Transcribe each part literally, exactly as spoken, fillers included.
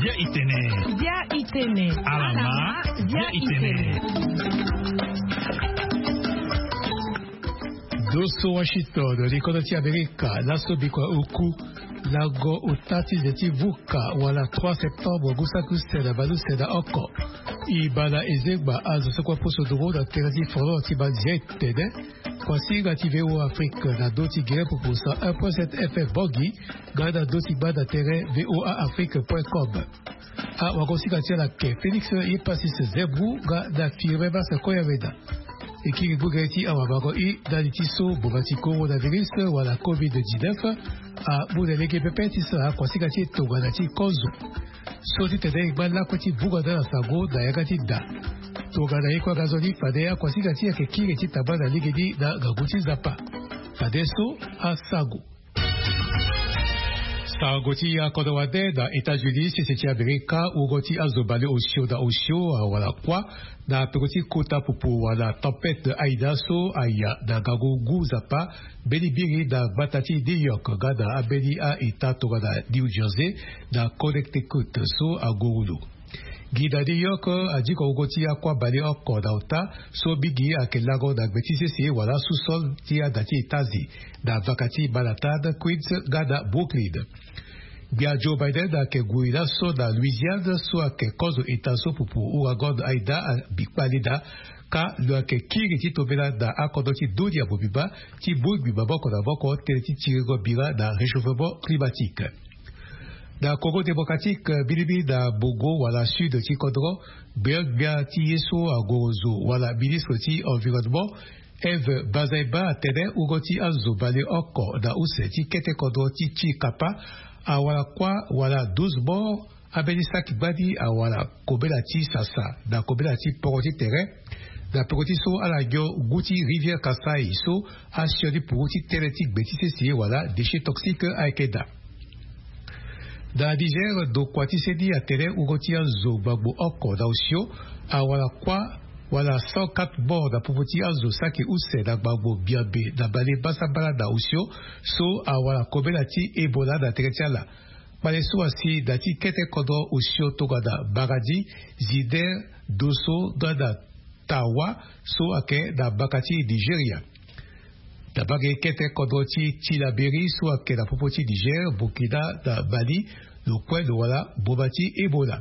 Bia itene. Bia itene. Alama. Bia itene. Doso Washington, likolo ti Amerika, laso bikua oku. Lango ota ti ze ti vuka wala trois septembre ngu saki use na baleuse na oko. E baa na ezengba azo so kue aposo nduru na tere ti folon ti manzia etene. Kuasinga ti V O A Afrique na ndö ti gere pupu cent un point sept F M Bangui, nga na ndö ti gbanda tere V O A Afrique point com. Awagosinga ti ala ake Félix Epasis Zembou nga na Firmin Massa Koyameda. E kiri ngu gere ti awamango i ndali ti so boma ti coronavirus wala covid dix-neuf amu na lege pepe ti sara akuasinga ti e tongana ti kozo. So ti tene e ngba lakue ti vunga na ala sango na yanga ti da. Tongana ye kue aga nzoni fade akuasinga ti e ayeke kiri ti tamba na lege ni na ngangu ti Nzapa. Fade so asango. Sango ti akodro wande na États-Unis, sese ti Amerika, wungo ti azo bale osio na osio awara kuâ na peko ti kota pupu wala tempête Aida so aya na ngangu ngu Nzapa mbeni biri na gbata ti New York nga na ambeni a-État tongana New Jersey na Connecticut so angurulu. Gi na New York, adiko wungo ti akuâ bale oko na ota so mingi ayeke lango na gbe ti sese wala sous-sol ti ada ti etaze na vaka ti Manhattan, Queens nga na Brooklyn. Gbia Joe Biden ayeke gue laso na Louisiane so ayeke kozo eta so pupu ouragan Aida abi kpale daa. Ka lo yeke kiri ti tombela na akodro ti dunia mobimba ti bongbi maboko na maboko tënë ti tiringo bira na réchauffement climatique. Na Congo démocratique, mbirimbiri na bongo wala sud ti kodro, gbeogbia ti ye so angorozo wala ministre ti environnement Eve Bazaiba atene wungo ti azo bale oko na use ti kete kodro ti Tchikapa awara kuâ wala douze morts, ambeni saki gbani awara kobela ti sasa na kobela ti poro ti tere. Na peko ti so ala nyon ngu ti rivière Kasaï so asioni puru ti tënë ti gbe ti sese wala déchets toxiques ayeke daa. Na Niger, ndokua ti seni atene wungo ti azo gbagbo oko na osio awara kuâ wala cent quatre morts na popo ti azo saki use na gbagbo biabe na bale basambala na osio so awara kobela ti Ebola na tere ti ala. Kpale so asi na ti kete kodro osio tongana Maradi, Zinder, Dosso nga na Tawa so ayeke na mbaka ti Nigeria. Na mbage kete kodro ti Tillabéri so ayeke na popo ti Niger, Burkina na Mali, lo kue lo wara mboma ti Ebola.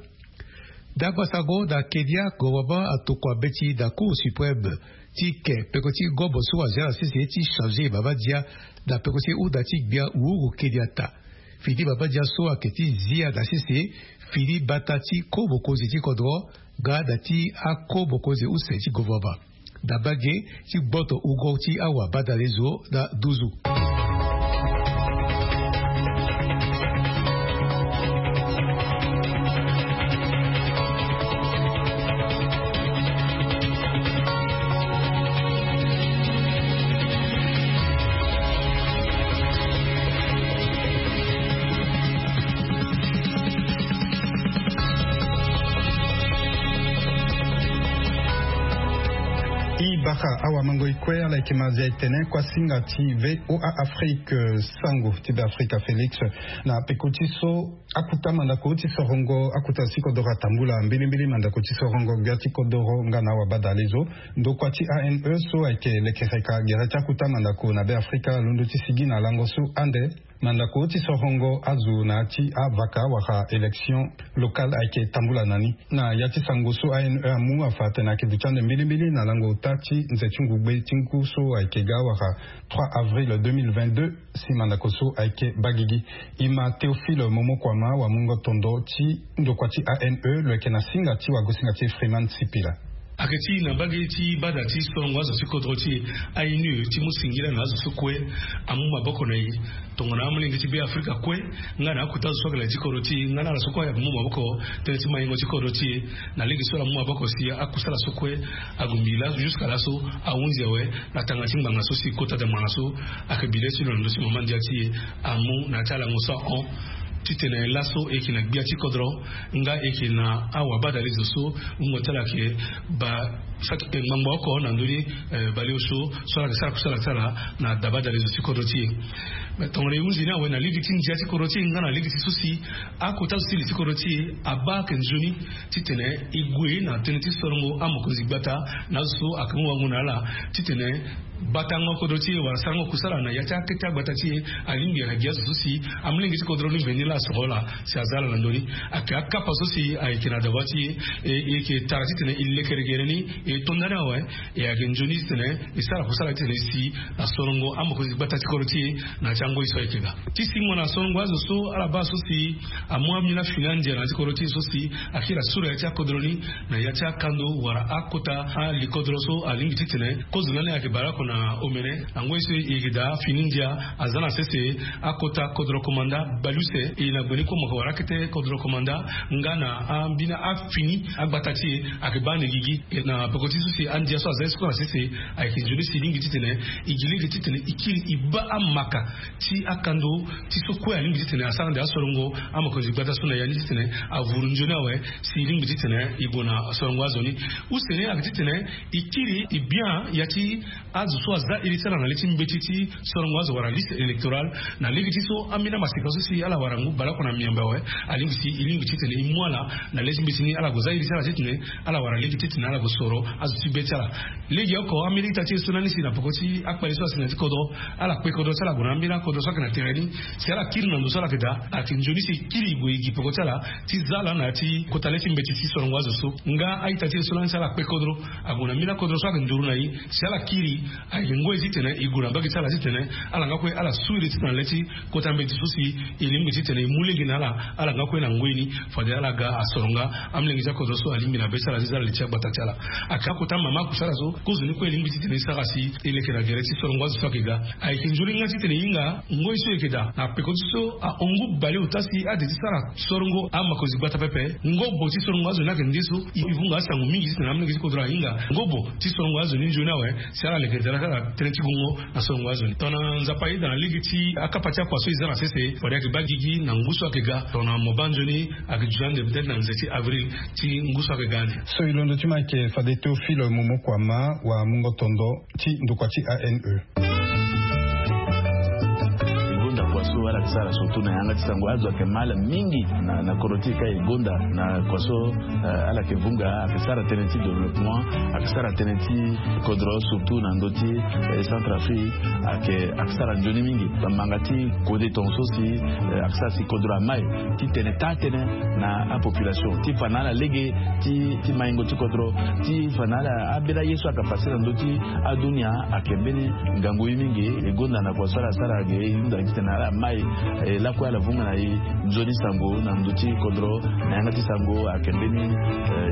Ndangba sango na Kenya, gouvernement atokua mbeti na Cour suprême ti ke peko ti ngobo so azia na sese ti changer mabaya na peko ti hunda ti gbia Uhuru Kenyatta. Fini mabaya so ayeke ti zia na sese fini mbata ti ko mokonzi ti kodro nga na ti ako mokonzi use ti gouvernement. Na mbage ti gboto wungo ti awabadalezo na nduzu. I baka awamango i kue ala yeke ma zia etene kuasinga ti V O A Afrique, sango ti Beafrika Félix. Na peko ti so akuta mandako ti sorongo akuta ti kodoro atambula mbilimbili mandako ti sorongo gbia ti kodoro nga na awabadalezo. Ndokua ti A N E so ayeke lekereka gere ti akuta mandako na Beafrika alondo ti sigi na lango so ande mandako ti sorongo azo na ya ti avaka wala élection locale ayeke tambula na ni. Na ya ti sango so A N E amu afa atene ayeke duti ande mbilimbili na lango ota ti nze ti ngugbe ti ngu so ayeke ga wala trois avril deux mille vingt-deux. Si mandako so ayeke baa gigi. E ma Théophile Momokuama wamungo tondo ti ndokua ti A N E lo yeke na singa ti wagosinga ti e Freeman Sipila. Ayeke ti na mbage ti bada ti sorongo azo ti kodro ti e, A N E, ti mu singila na azo so kue amu maboko na e tongana amolenge ti Beafrika kue nga na akuta azo so ayeke na ya ti kodro ti e nga na ala so kue ayeke mu maboko tënë ti maingo ti kodro ti e. Na lege so ala mu maboko si akusala so kue agumbi laso jusqu'à laso ahunzi awe na tanga ti ngbanga so si kota da ngbanga so ayeke bi le ti lo na ndö ti mama ndia ti e amu na ya ti alango so ahon. Titene laso e yeke na gbia ti kodro nga e yeke na awabadale zo so wungo ti ala ayeke ba saki ngbangbo oko na ndö ni baleosio so ala yeke sara kusala ti ala na dabadale zo ti kodro ti e. Me tongana e hunzi ni awe na lege ti ndia ti kodro ti e nga na lege ti so si akota zo ti li ti kodro ti e abaa ayeke nzoni titene e gue na tënë ti sorongo amokonzi gbata na azo so ayeke mu wango na ala titene batango kodro ti e wala sarango kusala na ya ti akete agbata ti e. Alingbi ala gi azo so si amolenge ti kodro ni mveni laa asoro ala si aza ala na ndö ni. Ayeke akapa so si ayeke na dawa ti e. E yeke tara titene e lekere gere ni e to ndani awe. E ayeke nzoni titene e sara kusala titene e si na sorongo amokonzi gbata ti kodro ti e. Na ya ti angoi so ayeke ga ti singo na sorongo azo so ala baa so si amu ambeni afini andia na ya ti kodro ti e so si akiri asuru ya ti akodro ni na ya ti akando wala akota alikodro so alingbi titene kozo na ni ayeke baleoko na omene. Na ngoi so e yeke daa afini ndia aza na sese akota kodro komanda bale use e na gbeni kue moko wala akete kodro komanda nga na ambeni afini agbata ti e ayeke baa na e gigi. Na peko ti so si andia so aza ye soko na sese ayeke nzoni si e lingbi titene e gi lege titene e kiri e baa amaka ti akando ti so kue alingbi titene asara ande asorongo amokonzi gbata so na ya ni titene avuru nzoni awe si e lingbi titene e gue na sorongo azo ni. Use ni ayeke titene e kiri e bien ya ti azo so aza iri ti ala na le ti mbeti ti sorongo azo wala liste électorale. Na lege ti so ambeni amaseka so si ala wara ngu baleoko na miombe awe alingbi si e lingbi titene e mu ala na le ti mbeti ni ala gue za iri ti ala titene ala wara lege titene ala gue soro azo ti be ti ala. Legeoko ambeni ita ti e so lani si na peko ti akpale so asi na ya ti kodro ala kpe kodro ti ala gue na ambeni akodro so ayeke na tere ni. Si ala kiri na ndo so ala yeke daa ayeke nzoni si e kiri e gue e gi peko ti ala ti za ala na ya ti kota le ti mbeti ti sorongo azo so nga a-ita ti e so lani si ala kpe kodro ague na mbeni akodro so ayeke nduru na e. Si ala kiri ayeke ngoi titene e gue na mbage ti ala titene ala nga kue ala su iri ti tene na le ti kota mbeti so si e lingbi titene e mu lege na ala ala nga kue na ngoi ni. Fade ala ga asoro nga amolenge ti akodro so alingbi na be ti ala ti za ala li ti agbata ti ala. Ayeke akota mama akusala so kozo ni kue e lingbi titene e sara si e leke na gere ti sorongo azo so ayeke ga. Ayeke nzoni nga titene e hinga ngoi so e yeke daa na peko ti so ahon ngu baleota si ade ti sara sorongo amakonzi gbata pepe. Ngobo ti sorongo azo ni ayeke nde so e vunga asango mingi titene amolenge ti kodro ahinga ngobo ti sorongo azo ni nzoni awe. Si ala leke daa na tënë ti gongo na sorongo azo ni tongana nzapa ayeda na lege ti akapa ti akua so e za na sese fade ayeke baa gigi na ngu so ayeke ga tongana mo baa nzoni ayeke duti ande peut-être na nze ti avril ti ngu so ayeke ga ande. So e londo ti mo ayeke fade Théophile Momokuama wa mungo tondo ti ndokua ti A N E. E gonda kua so ala yeke sara surtout na yanga ti sango azo ayeke mal mingi na kodro ti e ka e gonda na kua so ala yeke vunga ayeke sara tënë ti développement ayeke sara tënë ti kodro surtout na ndö ti Centrafrique. Ayeke ayeke sara nzoni mingi bamanga ti kode tongaso si ayeke sara si kodro amai ti tene taa tënë na apopulation ti fa na ala lege ti maingo ti kodro ti fa na ala ambeni aye so ayeke pase na ndö ti adunia. Ayeke mbeni ngangu ye mingi e gonda na kua so ala sara ge e hunda gi tene ala mai e lakue ala vunga na e nzoni sango na ndö ti kodro na yanga ti sango ayeke mbeni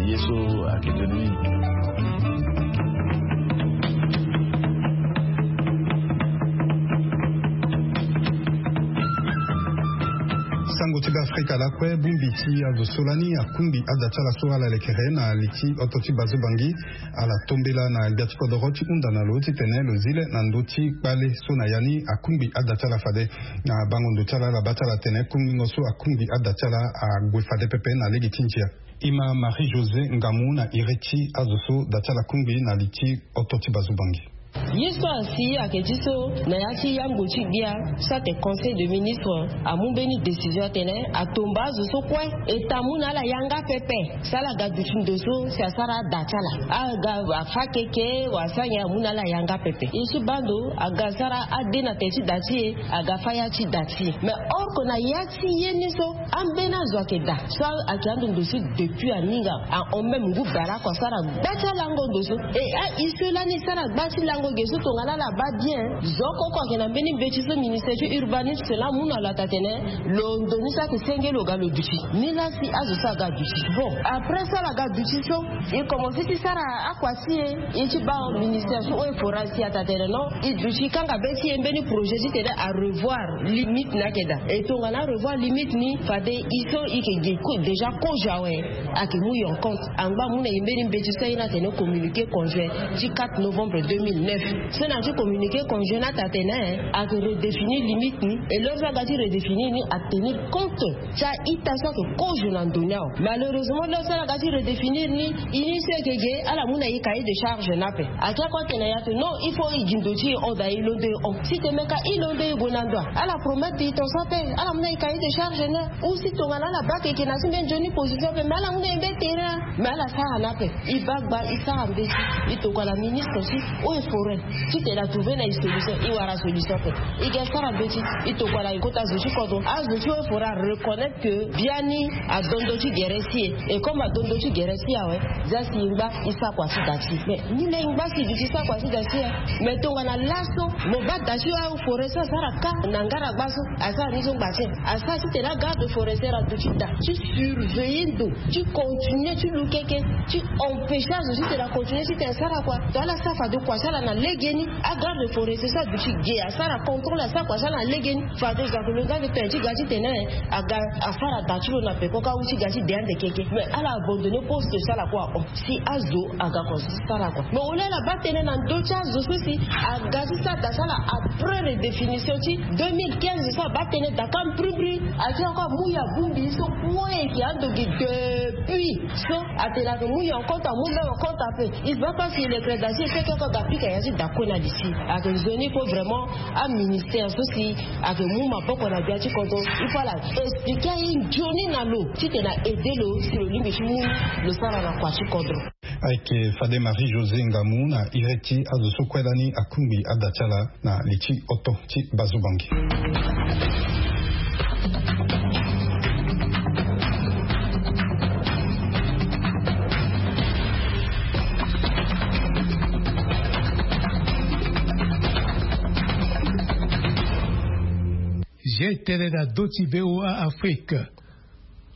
ye so ayeke nzoni mingi. Sango ti be afrika lakue bongbi ti azo so lani akungbi ada ti ala so ala lekere na li ti oto ti bazo bangi. Ala tombela na gbia ti kodoro ti hunda na lo titene lo zi le na ndö ti kpale so na ya ni akungbi ada ti ala fade. Na bango ndo ti ala ala baa ti ala atene kungbingo so akungbi ada ti ala ague fade pepe na lege ti ndia. Ima Marie José Ngamu na iri ti azo so da ti ala kungbi na li ti oto ti bazo bangi. Ye so asi ayeke ti so na ya ti yango ti gbia so atene conseil de ministre amu mbeni décision atene atomba azo so kue eta amu na ala yanga pepe. Si ala ga duti ndo so si asara ada ti ala aga afa keke wala asara nyen amu na ala yanga pepe. Ye ti baa ndo aga sara ade na tene ti da ti e aga fa ya ti da ti e mais or que na ya ti ye ni so ambeni azo ayeke daa so ayeke ando ndo so depuis aninga ahon même ngu bara ako asara gba ti alango ndo so. E a-i so lani sara gba ti lango ge so tongana ala baa bien zo oko oko ayeke na mbeni mbeti so ministère ti urbanisme laa amu na lo ata tene lo ndo ni so ayeke senge lo ga lo duti ni laa si azo so aga duti bon après so ala ga duti so e komanse ti sara akua si e. E ti baa ministère so oyo e fo ra si ata tene non e duti kanga be ti e mbeni projet titene arevoir limite ni ayeke daa e tongana arevoir limite ni fa Nde e so e yeke ge déjà kozo awe. Ayeke mu e en compte angba amu na e mbeni mbeti so aye ni atene communiqué conjoint ti quatre novembre deux mille neuf. So na ya ti communiqué conjoint ni ata atene ayeke redéfinir limite ni. Et l'heure so aga ti redéfinir ni atenir compte ti a-ita so ayeke kozo na ndo ni awe. Malheureusement l'heure so ala ga ti redéfinir ni, ini so eke ge ala mu na e cahier de charge ni ape. Ake ako atene ya te non, il faut e gi ndo ti e hon daa e londo e hon. Si te meka e londo e gue na ndo a, ala promettre e ton so ape. Ala mu na e cahier de charge ni a. Ou si tongana ala bake eke na ti mbeni nzoni position ape, mais ala mu na e mbeni terrain a. Mais ala sara ni ape. E baa gba e sara mbeti, e tokua na ministre ti eaux et forêts, titene a trouver na e solution. E wara solution ape. E ga e sara mbeti, e tokua na e kota zo ti kodro. Azo ti eaux et forêts a reconnaître que biani adondo ti gere si e. Et comme adondo ti gere si e awe, za si e ngba e sakua ti da ti e. Mais ni laa e ngba si e duti sakua ti da ti e. Mais tongana laso mo baa da ti eaux et forêts so asara ka na ngaragba so, asara ni so ngba ti e. Asara titene agarde forestier aduti da ti surveiller ndo, ti continuer ti lu keke, ti empêcher azo titene acontinuer titene asara kua. Donc ala sara fade kua ti ala na legeni. Agarde forestier so aduti ge asara contrôle, asara kua ti ala na legeni. Fade zo ayeke lo nda ave tene ti ga titene aga asara da ti lo na peko ka ou ti ga ti de ande keke. Mais ala abandonner poste ti ala kue ahon. Si azo aga kua so ti sara kua. Mais au lieu ala baa tënë na ndö ti azo so si aga ti sara da ti ala après redéfinition ti deux mille quinze so, abaa tënë da ka mbrimbri. Ake ako amu e abongbi so kue eke ando gi depuis so atene ayeke mu e en compte, amu même en compte ape. Il va pas sur le crédit si e fait que ako aga pika ya ti da kue na li ti e. Ayeke nzoni po vraiment aministère so si ayeke mu maboko na gbia ti kodro, il faut ala expliquer aye nzoni na lo titene a aider lo si lo lingbi ti mu lo sara na kua ti kodro. Ayeke fade Marie José Ngamu na iri ti azo so kue lani akungbi ada ti ala na li ti oto ti Bazubangi. Zia e tene na dö ti V O A Afrique.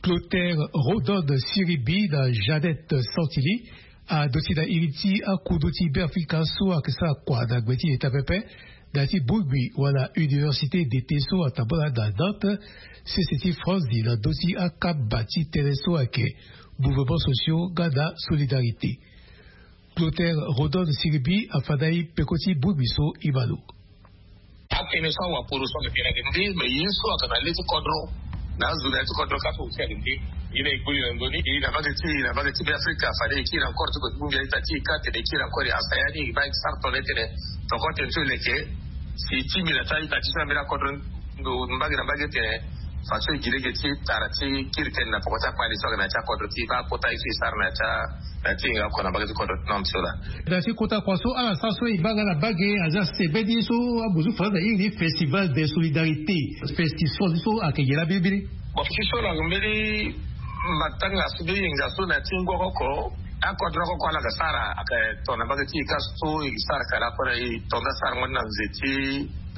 Clotaire Rodon Siribi na Jeannette Santili aduti na iri ti akundu ti Beafrika so ayeke sara kua na gbe ti eta pepe na ya ti bongbi wala université d'été so atambula na Nantes, sese ti France na ndö ti akamba ti tënë so ayeke mouvement sociaux nga na solidarité. Clotaire Rodon Siribi afa na e peko ti bongbi so e ma lo. Atënë so awaporo so ayeke tene ayeke nde, me ye so ayeke na le ti kodro na azo na ya ti kodro ka so aussi ayeke nde. Ye na e koli na ndoni e na mbage ti e na mbage ti Beafrika fade e kiri encore ti kue ti bongbi a-ita ti e ka tene e kiri encore e asaya ni e baa e sara tongana e tene tongana tënë so e leke si e tingbi na ti a-ita ti so na mbeni akodro ndo mbage na mbage tene. Façon e gi lege ti tara ti kiri tënë na poko ti akpale so ayeke na ya ti akodro ti e baa akota ye so e sara na ya ti a na ti e nga oko na mbage ti kodro ti Nantes so laa. Na ti kota kua so ala sara so e baa nga na mbage aza sebeni so abuzu faransa airi ni festival de solidarité. Festival so ayeke nyen laa mbirimbiri? Bon festival so lo yeke mbeni matanga so mbi yenga so na ya ti ngua oko oko. Akodro oko oko ala yeke sara ayeke tongana mbage ti e ka so e sara kara kue na e tonda sara ngoni na nze ti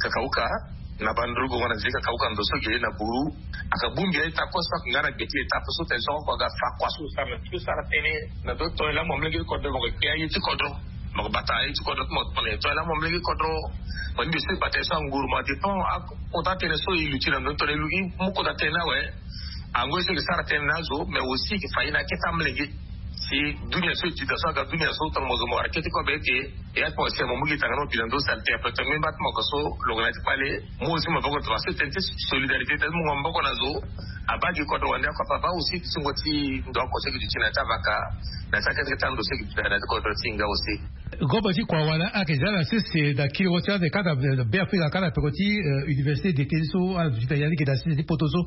kakauka. Na banduru gongo na nze ti kakauka ndo so ge na buru. Ayeke bongbi a-ita kue so ayeke nga na gbe ti eta ape so tene so oko aga fa kua so lo sara na ti lo sara tënë na ndo tongana e laa mo molenge ti kodro mo yeke kpe aye ti kodro. Mo yeke bata aye ti kodro ti mo tongana e tongana e laa mo molenge ti kodro. Mo ni mbi so e bata ye so anguru mo adépend akota tënë so e luti na ndo ni tongana e lu e mu kota tënë ni awe. Angoi so e yeke sara tënë na azo mais aussi e yeke fa ye na akete amolenge. Si dunia so e ti da so aga dunia so tongana mo zo mo wara kete kobe ete. E ya ti mo si mo mu gi tanga ni mo bi na ndo sante ape tongana mbi mba ti mo ga so lo ga na ya ti kpale. Mo aussi mo boko tongana so tënë ti solidarité tënë ti mungo maboko na zo. Abaa gi kodro wande oko ape abaa aussi ti singo ti ndo oko so e gi duti na ya ti avaka na ya ti akete kete ando so e gi duti na ya ti kodro ti e nga aussi. Gomba ti kua wala ayeke za na sese na kiri wo ti ande ka na Beafrika ka na peko ti université d'été so ala duti na ya ni ge na sese ti poto so.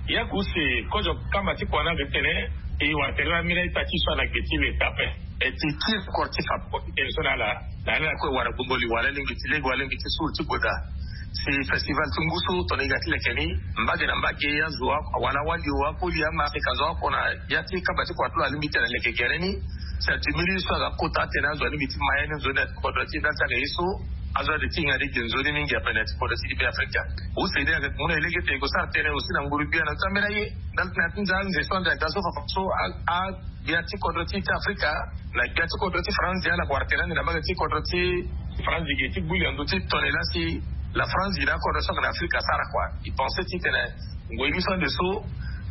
Ya ke use kozo kamba ti kua ni ayeke tene e wara tere na mbeni a-ita ti e so ana gbe ti leta ape. E ti kiri koro ti fa peko ti tene so na ala na ala kue wara gbongo li wala lingbi ti lege wala lingbi ti suru ti gue daa. Si festival ti ngu so tongana e ga ti leke ni mbage na mbage azo wala awali o akoli ama ake ka zo oko na ya ti kamba ti kua ti lo alingbi ti tene aleke gere ni. Si atimiri so aga kota atene azo alingbi ti ma ya ni nzoni na ti kodro ti e ndali ti aga ye so. Azo ade ti hinga ni ge nzoni mingi ape na ya ti kodro ti e ti Beafrika. Use ni ayeke mu na e lege tene e ke sara tënë aussi na nguru gbia na ti ambeni aye ndali ti na ya ti nza anze so ande aga so fafa so a gbia ti kodro ti e ti Afrika na gbia ti kodro ti France ala wara tene ande na mbage ti kodro ti France ge ti gbu li na ndö ti tongana e laa si la France ge na akodro so ayeke na Afrika asara kua. E pense titene ngoi ni so ande so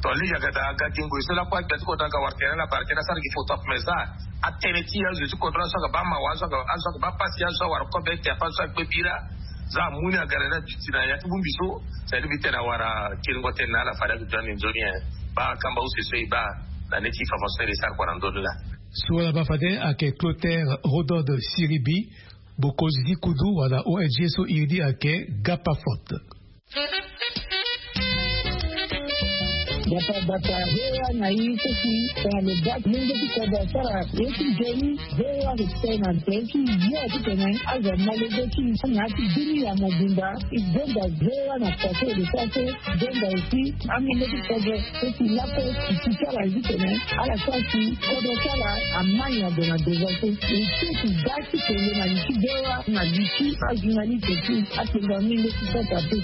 To lege aga da aga gingo e so lakue agbia ti kodro aga wara tere ala bara tena asara gi photo ape me za atene ti azo ti kodro azo aga baa mawa azo aga baa pasi azo awara kobe ete ape azo agbe bira. Za amu ni aga na ni aduti na ya ti bongbi so. Sadi mbi tene awara kiringo tene na ala fade aga duani nzoni e. Baa kamba use so e baa na ni ti fafa so ere sara kua na ndoni laa. So ala baa fade ayeke clotaire rodode siribi, bokonzi ti kudu wala ong so iri ni ayeke gapa forte. Bata bata hewa na i seki tana lo bak mungo ti kodo sara ye ti jeni. Hewa ke tena teki yo ti tena aza malego ti na ti dini ya mobimba. I donda hewa na kote de sase donda esi amenge ti kodo seki lape ti sala ti tena ala sasi kodo sala amani ya dona deza so. Esi ti ga ti kende na li ti hewa na li ti ajournaliste ti atenga menge ti sasa pe.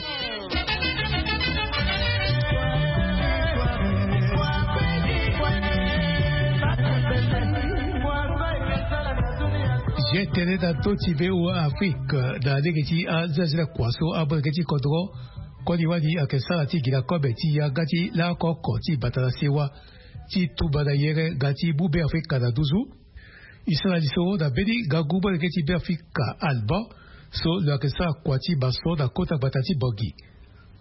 Zia tënë na ndö ti V O A Afrique na lege ti azazila kua so amolenge ti kodro koli wali ayeke sara ti gi na kobe ti yanga ti laoko oko ti bata na sewa ti tumba na yere nga ti mu Beafrika na nduzu. E sara lisoro na mbeni ngangu molenge ti Beafrika Alban so lo yeke sara kua ti mason na kota gbata ti Bangui.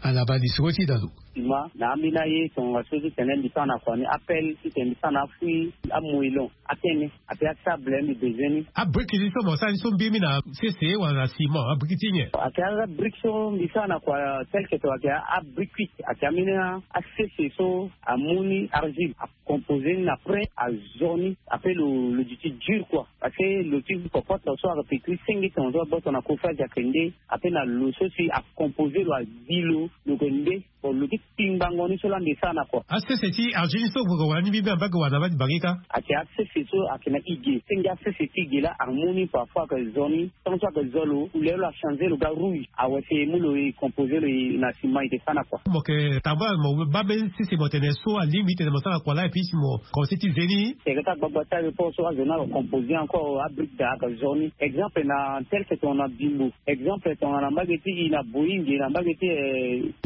Ala baa lisoro ti na lo. Sima na ambeni aye tongana so ti tene mbi sara na kua ni appel ti tene mbi sara na afui amoelon atene ape asable mbi bezoin ni. Abriki ti so mo sara ni so mbiri mi na sese wala na sima abriki ti nyen? Ayeke abriki so mbi sara na kua tel que to ayeke abriki kuit ayeke ambeni asese so amu ni argile. Composé ni na prin azo ni ape lo lo duti dur kua. Parce que lo ti kokoto so ayeke pekiri senge tonga so agboto na kofrage ayeke nde ape na lo so si acomposé lo adi lo lo yeke nde. Bon lo ti kpingbango ni so laa mbi sara na kua. Asese ti argile ni so gue gue wara ni mbi mbi ambage wara na mbage kâ. Ayeke asese so ayeke na ige senge asese ti ige laa amu ni parfois ayeke zo ni. Tant so ayeke zo lo couleur lo achangé lo ga rouge. Awe si e mu lo e composé lo e na sima e ke sara na kua. Mo yeke tambula mo baa mbeni sese mo tene so alingbi ti tene mo sara na kua laa et puis si mo commencé ti ze ni. Tere ti agbagba ti aéroport so azo ni ayeke composé encore abrique daa ayeke zo ni exemple na tel que tongana bimbo exemple tongana mbage ti e na boyinge na mbage ti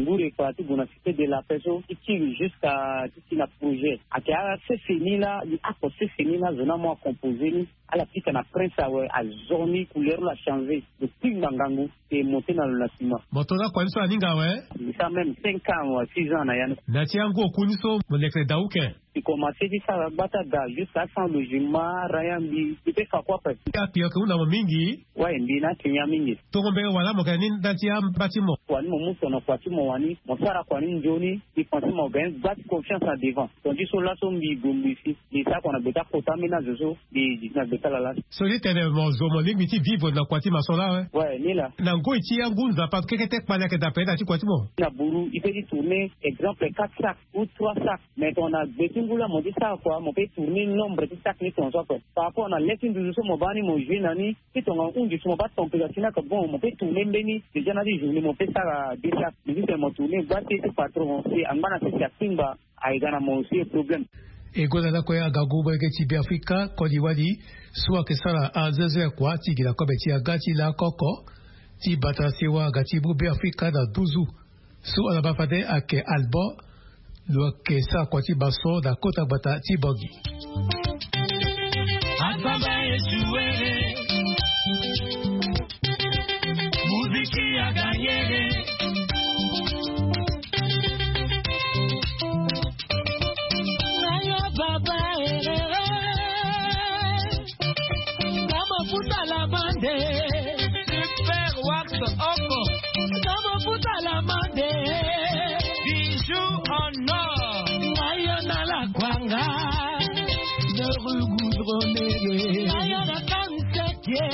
nguru ekpara ti gue na cité de la paix so ti tiri jusqu'à ti ti na projet ayeke asese ni laa li ako sese ni laa azo ni amu acomposé ni. Ala pika na prince awe azo ni couleur lo achangé lo kpingba ngangu. E monté na lo na sima. Mo to na kua ni so aninga awe. Mbi sara même cinq ans wa six ans na ya ni. Na ti angu oku ni so mo lekere da uke. Mbi commencé ti sara gbata da jusqu'à sans logement araya mbi mbi pe fa kua pe. Akpi ayeke hunda mo mingi. Wai mbi na akenya mingi. Tongo mbenge wala mo yeke ni nda ti amba ti mo. Kua ni mo mu so na kua ti mo wani mo sara kua ni nzoni. Mbi pense mo gagne gba ti confiance na devant. Ton ti so laso mbi gue mbi si. Mbi sara kua na gbe ti akota ambeni azo so. Mbi gi ti na gbe ti ala laa. So ni tene mo zo mo lingbi ti vivre na kua ti mason laa awe. Wai ni laa. Na ngoi ti angu nzapa kekete kpale ayeke daa pele na ti kua ti mo. Na buru i pe ti tourner exemple quatre sacs ou trois sacs. Mais tongana gbe ti ngu laa mo ti sara kua mo pe tourner nombre ti sacs ni tongaso ape. Par rapport na le ti nduzu so mo baa ni mo jouer na ni ti tongana hunzi so mo baa température ni ayeke bon mo pe tourner mbeni déjà na ti journée mo pe sara deux sacs. Mbi ti tene mo tourner gba ti ye ti patron si angba na sese akpingba. Aye ga na mo aussi e problème. E gonda lakue agangu molenge ti Beafrika koli wali so ayeke sara azezo ya kua ti gi na kobe ti aga ti lakoko ti bata sewa aga ti mu Beafrika na nduzu. So ala baa fade ayeke Alban lo yeke sara kua ti mason na kota gbata ti Bangui. Asamba esuwere. Muziki ya ganyere. Nayo baba erere. Kama futa la mande. Super wax oko. Kama futa la mande. Bijou en or. Nayo na la kwanga. De rugugrone. Nayo na kanseke.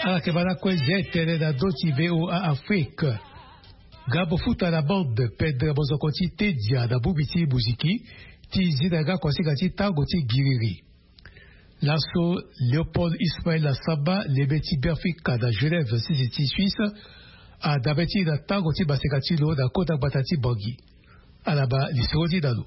Ala yeke baa lakue zia etene na ndö ti V O A Afrique. Nga mo futa na bande pendre mozoko ti tedia na bongbi ti muziki ti zi na yanga kuasinga ti tango ti giriri. Laso Léopold Ismaël Assamba lebe ti Beafrika na Genève sese ti Suisse adabe ti e na tango ti maseka ti lo na kota gbata ti Bangui. Ala baa lisoro ti na lo.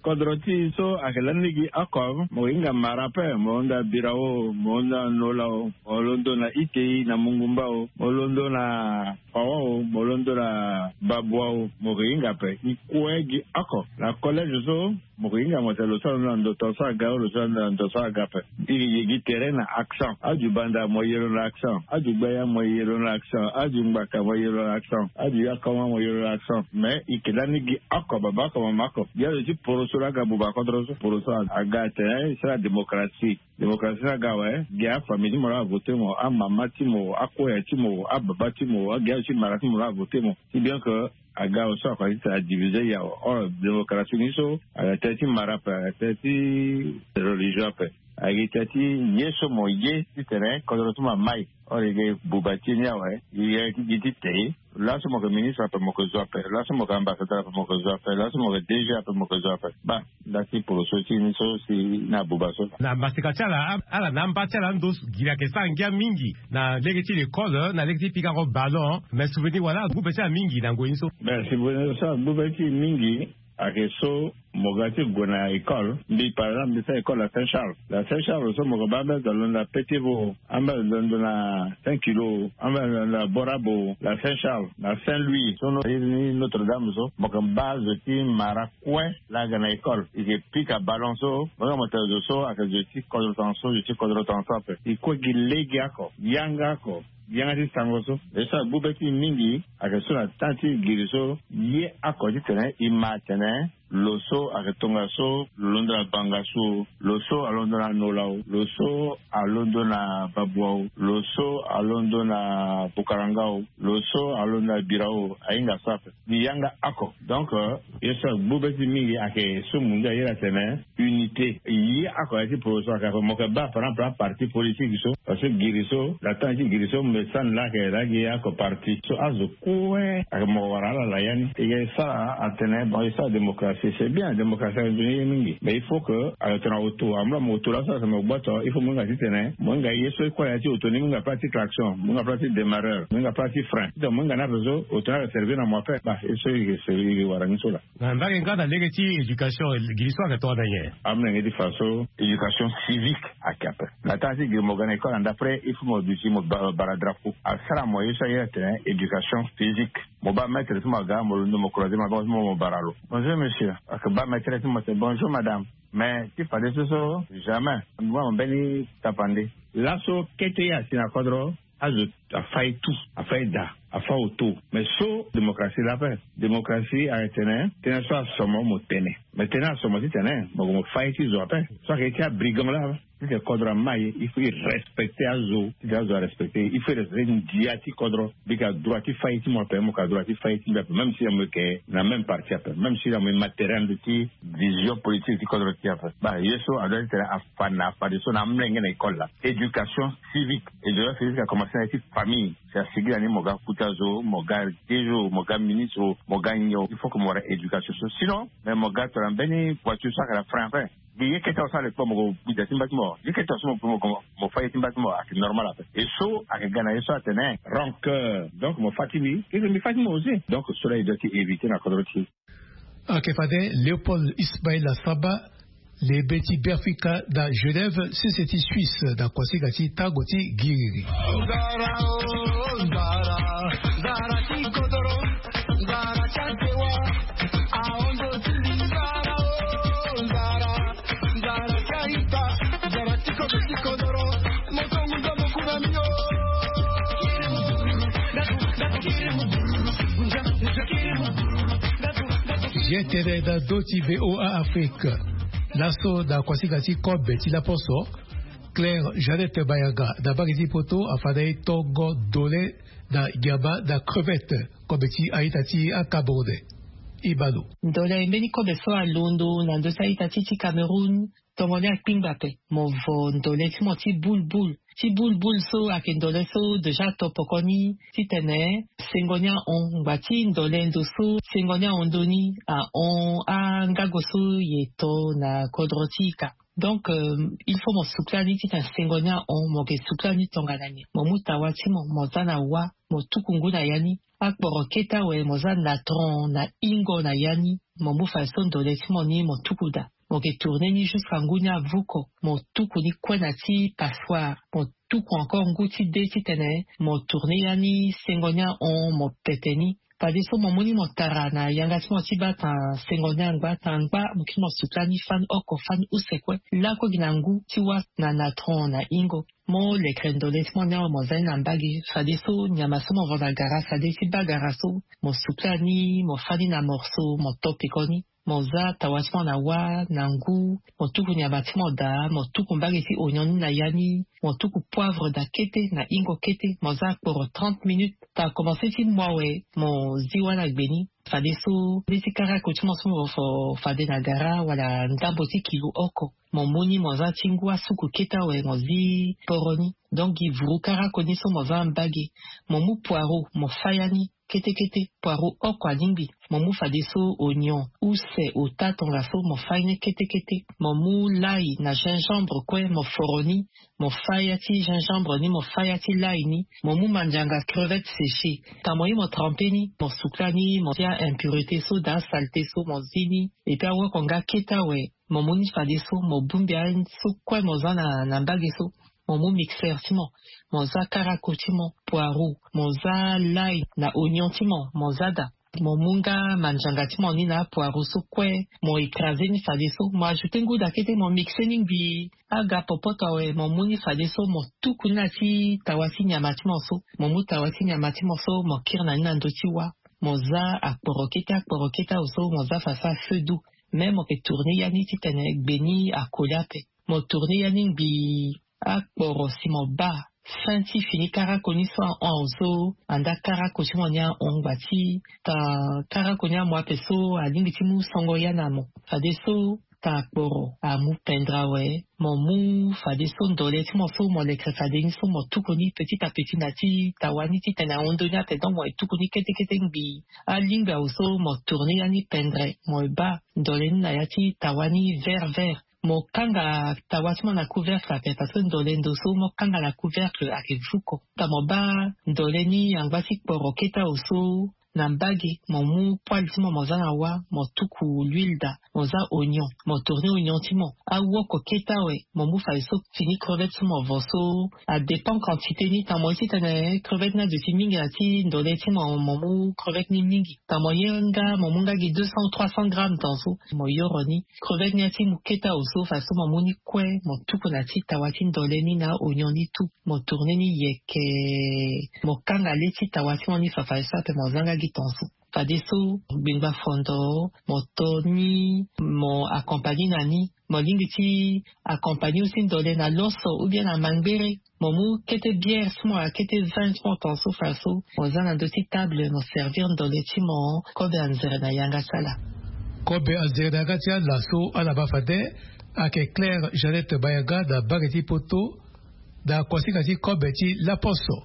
Kodro ti e so ayeke lani lege oko mo hinga mara ape mo hunda birao mo hunda nola o mo londo na itei na mungumba o mo londo na pawa o mo londo na ba. Bwawu mo ke hinga ape. I kue gi oko na collège so mo ke hinga mo tene lo so alondo na ndo tongaso aga, lo so alondo na ndo tongaso aga ape. I ke ye gi tere na accent. Adu banda mo ye lo na accent. Adu gbaya mo ye lo na accent. Adu ngbaka mo ye lo na accent. Adu yakongo mo ye lo na accent. Mais i ke lani gi oko, baba oko, mama oko. Gi azo ti poroso laa aga buba kodro so. Poroso aga atene e sara démocratie. Démocratie ni aga awe, gi afamille ti mo laa avote mo, amama ti mo, akoya ti mo, ababa ti mo, agi azo ti mara ti mo laa avote mo. Si bien que aga awe so akoya titene adivise i awe. Or démocratie ni so aga tere ti mara ape, aga tere ti religion ape. Aga gi tere ti ye so mo ye titene kodro ti mo amai. Or i ga buba ti e ni awe, i ga gi ti te. Laso mo yeke ministre ape mo yeke zo ape, laso mo yeke ambassadeur ape mo yeke zo ape, laso mo yeke DG ape mo yeke zo ape. Baa, nda ti poroso ti ni so si na buba so. Na maseka ti ala, ala na amba ti ala ando giri ayeke sara ngia mingi na lege ti l'école, na lege ti pika oko ballon. Mais souvenir wala agbu be ti ala mingi na ngoi ni so. Mais souvenir so agbu be ti e mingi ayeke so mo ga ti gue na école. Mbi par exemple mbi sara école na Saint Charles. Na Saint Charles so mo yeke baa ambeni azo alondo na Petit Vau, ambeni azo alondo na Saint Kilo, ambeni azo alondo na Borabo, na Saint Charles, na Saint Louis so no iri ni Notre Dame so, mo yeke baa zo ti mara kue laa aga na école. I yeke pika ballon so mo hinga mo tene zo so ayeke zo ti kodro tongaso, zo ti kodro tongaso ape. I kue gi lege oko, yanga oko, yanga ti sango so. Ye so agbu be ti e mingi ayeke so na temps ti giri so, ye oko titene i ma atene lo so ayeke tongaso lo londo na Bangassou o, lo so alondo na Nola o, lo so alondo na Babua o, lo so alondo na Bukaranga o, lo so alondo na Birao o, ahinga so ape. Gi yanga oko. Donc ye so agbu be ti e mingi ayeke so mo ngia iri atene unité. Ye oko ya ti poroso ayeke ape, mo yeke baa par exemple aparti politique so. Parce que giri so, na temps ti giri so mbi sani laa ayeke laa gi oko parti so azo kue ayeke mo wara ala na ya ni. E yeke sara atene bon e sara démocratie, c'est bien, démocratie ayeke nzoni ye mingi, mais il faut que ayeke tongana auto, amu laa mo auto laso ayeke mo gboto, il faut mo hinga titene mo hinga ye so e kue na ya ti auto ni, mo hinga place ti klaxon, mo hinga place ti démarreur, mo hinga place ti frein, titene mo hinga ni ape so auto ni ayeke servir na mo ape. Baa, ye so e yeke wara ni so laa. Na mbage nga na lege ti éducation, giri so ayeke tongana nyen? Amolenge ti fa so éducation civique ayeke ape. Na temps ti giri mo ga na école na ndapre, il faut mo duti mo ba- bara drapeau. Asara mo ye so aye atene éducation physique. Mo baa maître ti mo aga, mo londo mo croiser maboko ti mo, mo bara lo: bonjour monsieur. Ayeke baa maître ti mo atene: bonjour madame. Mais ti fadeso so jamais mo baa mo mbeni tapande. Laso kete ye asi na kodro, azo afa ye tout, afa ye daa, afa auto. Mais so démocratie laa ape. Démocratie ayeke tene tënë so aso mo, mo tene. Mais tënë aso mo titene mo gue mo fa ye ti zo ape. So ayeke ye ti abrigand laa, titene kodro amai, il faut e respecter azo. Titene azo arespecter, il faut e respecter ndia ti kodro. Mbi yeke na droit ti fa ye ti mo ape, mo yeke na droit ti fa ye ti mbi ape, même si na mo yeke na même parti ape, même si na mo ye matériel ti vision politique ti kodro ti e ape. Baa, ye so adoit titene afa na fadeso na amolenge na école laa. Éducation civique. Éducation civique akomanse na ya ti famille. Si asigi na ni mo ga kuta zo, mo ga dejo, mo ga ministre, mo ga nyo. Il faut que mo wara éducation so. Sinon, mais mo ga tongana mbeni voiture so ayeke na frein ape. Mbi ye kete awe so alekpa mo ko bida ti mba ti mo. Ye kete awe so mo mo mo fa ye ti mba ti mo ayeke normal ape. E so ayeke ga na ye so atene rancœur. Donc mo fa ti mbi, e mbi fa ti mo aussi. Donc so laa e doit ti éviter na kodro ti e. Ayeke fade Léopold Ismaïla Samba, lebe ti Beafrika na Genève, sese ti Suisse, na kuasinga ti tango ti giriri. Ye tene na ndö ti V O A Afrique. Laso na kuasinga ti kobe ti laposo, Claire Jeannette Mayanga na mbage ti poto afa na e tongo ndole na nyama na crevette, kobe ti a-ita ti aCameroun. E ma lo. Ndole mbeni kobe so alondo na ndö ti a-ita ti ti Cameroun, tongo ni akpingba ape. Mo vo ndole ti mo ti boule boule. Ti boule boule so ayeke ndole so déjà ato poko ni titene sengo ni ahon. Ngba ti ndole ndo so sengo ni ahon ndo ni, ahon angago so e to na kodro ti ika. Donc il faut mo sukula ni titene sengo ni ahon, mo yeke sukula ni tongana nyen? Mo mu tawa ti mo, mo za na wa, mo tuku ngu na ya ni. Akporo kete awe mo za na tron na hingo na ya ni. Mo mu fadeso ndole ti mo ni mo tuku daa. Mo yeke tourner ni jusqu'à ngu ni avuko. Mo tuku ni kue na ti passoire. Mo tuku encore ngu ti de titene mo tourner ya ni sengo ni ahon, mo pete ni. Fadeso mo mu ni mo tara na yanga ti mo ti baa tanga sengo ni angba tanga angba, mo kiri mo sukula ni fani oko fani use kue. Lakue gi na ngu ti wâ na natron na hingo. Mo lekere ndole ti mo ni awe mo za ni na mbage. Fadeso nyama so mo va na gara, fade ti baa gara so, mo sukula ni, mo fâ ni na morceau, mo to peko ni. Mo za tawa ti mo na wâ na ngu. Mo tuku nyama ti mo daa, mo tuku mbage ti oignon ni na ya ni. Mo tuku poivre daa kete na hingo kete. Mo za akporo trente minutes. Tanga komanse ti mu awe, mo zi wâ na gbe ni. Fadeso nde ti karako ti mo so mo fo fade na gara wala ndambo ti kilo oko. Mo mu ni mo za ti ngu asuku kete awe, mo zi poro ni. Donc gi vuru karako ni so mo za mbage. Mo mu poireau, mo fâ ya ni kete kete. Poireau oko alingbi. Mo mu fadeso oignon, use, ota, tongaso, mo fâ ye ni kete kete. Mo mu lay na gingembre kue, mo foro ni. Mo fâ ya ti gingembre ni, mo fâ ya ti lay ni. Mo mu mandianga, crevette séchée. Tanga mo ye mo tremper ni, mo sukula ni, mo zi aimpurité so daa asaleté so, mo zi ni. Et puis awoko nga kete awe, mo mu ni fadeso, mo bongbi aye so kue mo za na, na mbage so. Mo mu mixeur ti mo, mo za karako ti mo, poireau, mo za lay na oignon ti mo, mo za daa. Mo mu nga mandianga ti mo ni na apoireau so kue, mo écraser ni fadeso, mo ajouter ngu daa kete, mo mixer ni ngbii. Aga popoto awe, mo mu ni fadeso, mo tuku ni na ti tawa ti nyama ti mo so. Mo mu tawa ti nyama ti mo so, mo kiri na ni na ndö ti wâ. Mo za akporo kete, akporo kete awe so, mo za fadeso à feu doux. Mais mo yeke tourner ya ni titene gbe ni akoli ape. Mo tourner ya ni ngbii. Akporo si mo baa fin ti fini karako ni so ahon awe so, anda karako ti mo ni ahon ngba ti tanga karako ni amu ape so, alingbi ti mu songo ya na mo. Fadeso tanga kporo amu pendre awe, mo mu fadeso ndole ti mo so mo lekere fade ni so, mo tuku ni petit à petit na ti tawa ni titene ahon ndö ni ape. Donc mo ye tuku ni kete kete ngbii. Alingbi awe so mo tourner ya ni pendre, mo ye baa ndole ni na ya ti tawa ni vert vert. Mo kanga tawa ti mo na couvercle ape, parce que ndole ndo so mo kanga na couvercle ayeke vuko. Tanga mo baa ndole ni angba ti kporo kete awe so, na mbage mo mu poêle ti mo, mo za na wâ, mo tuku l'huile daa, mo za oignon, mo tourner oignon ti mo. Awoko kete awe, mo mu fadeso fini crevette so mo vo so, a dépend quantité ni. Tanga mo ye titene crevette ni aduti mingi na ti ndole ti mo, mo mu crevette ni mingi. Tanga mo ye nga, mo mu nga gi deux cents ou trois cents grammes tanga so, mo yoro ni. Crevette ni ati mu kete awe so, fadeso mo mu ni kue, mo tuku na ti tawa ti ndole ni na oignon ni tout. Mo tourner ni yeke, mo kanga le ti tawa ti mo ni fa, fadeso ape mo za nga gi tanga so. Fadeso gbengba fondo, mo to ni, mo accompagner na ni. Mo lingbi ti accompagner aussi ndole na loso ou bien na mangbere. Mo mu kete bière ti mo, kete vin ti mo tanga so, fadeso mo za na ndö ti table, mo servir ndole ti mo. Kobe anzere na yanga ti ala. Kobe anzere na yanga ti ala so ala baa fade. Ayeke Claire Jeannette Bayaga na mbage ti Poto, na kuasinga ti kobe ti laposo.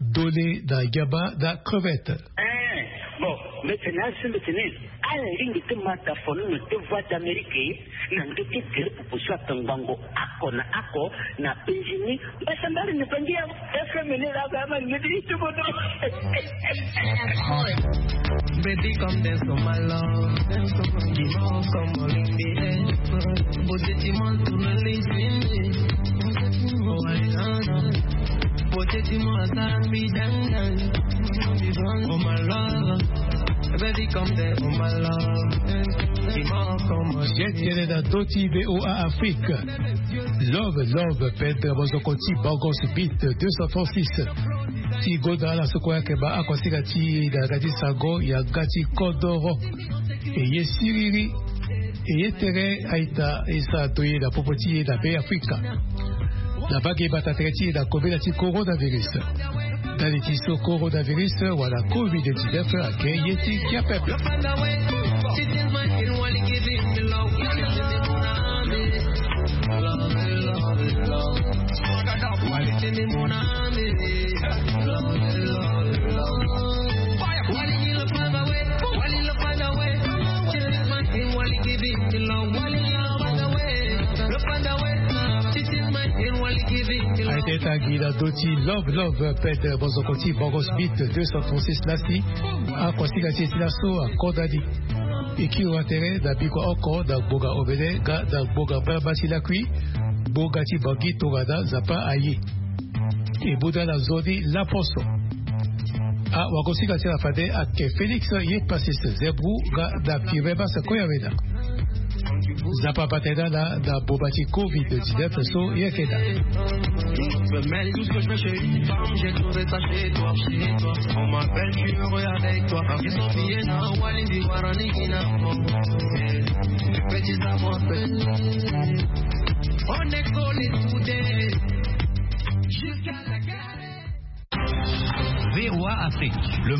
Ndole na nyama na crevette. Eh, bon, mbeti ni asi mbeti ni. Ala lingbi ti ma da fo ni na deux voix d'Amérique na ndö ti gere pupu so atongbango oko na oko na penzi ni. Mbeti mbali ni penzi ya F M ni la ba ma ni ti bodo. Baby, come dance for my love. Give me all, come on in the air. Beauté, tu m'entoures, les Yetene na ndö ti V O A Afrique. Love, love, pendre mozoko ti Bangos Beat deux cent trente-six. Ti gonda ala so kue ayeke baa akuasinga ti e na yanga ti sango, yanga ti kodoro. E ye siriri. E ye tere a-ita e sara to e na popo ti e na Be Afrika. Na mbage bata tere ti e na kobela ti coronavirus. Ndali ti so coronavirus wala covid dix-neuf ayeke ye ti Kia Peuple. Aye tene Agi na doti love love pede bozoko ti bogos bit deux cent trente-six lasi. Akosinga ti e ti laso akota ni. Ekiro atere na bikua oko na gbonga obele ga na gbonga mbalamba ti lakui. Gbonga ti bangi tongana nzapa aye. Ebunda na nzoni laposo. Awakosinga ti na fade ake félix ye pasis zebru ga na pire basa koya weda. Nzapa batenda na na boba ti covid dix-neuf so ye keda. Tout ce que je veux chez une femme, j'ai trouvé ça chez toi, chez toi. On m'appelle, tu heureux avec toi. Ils sont pillés dans Walindi Warani Kinamo. Petit amour. On est collés soudés. Jusqu'à la gare. V O A Afrique, le monde.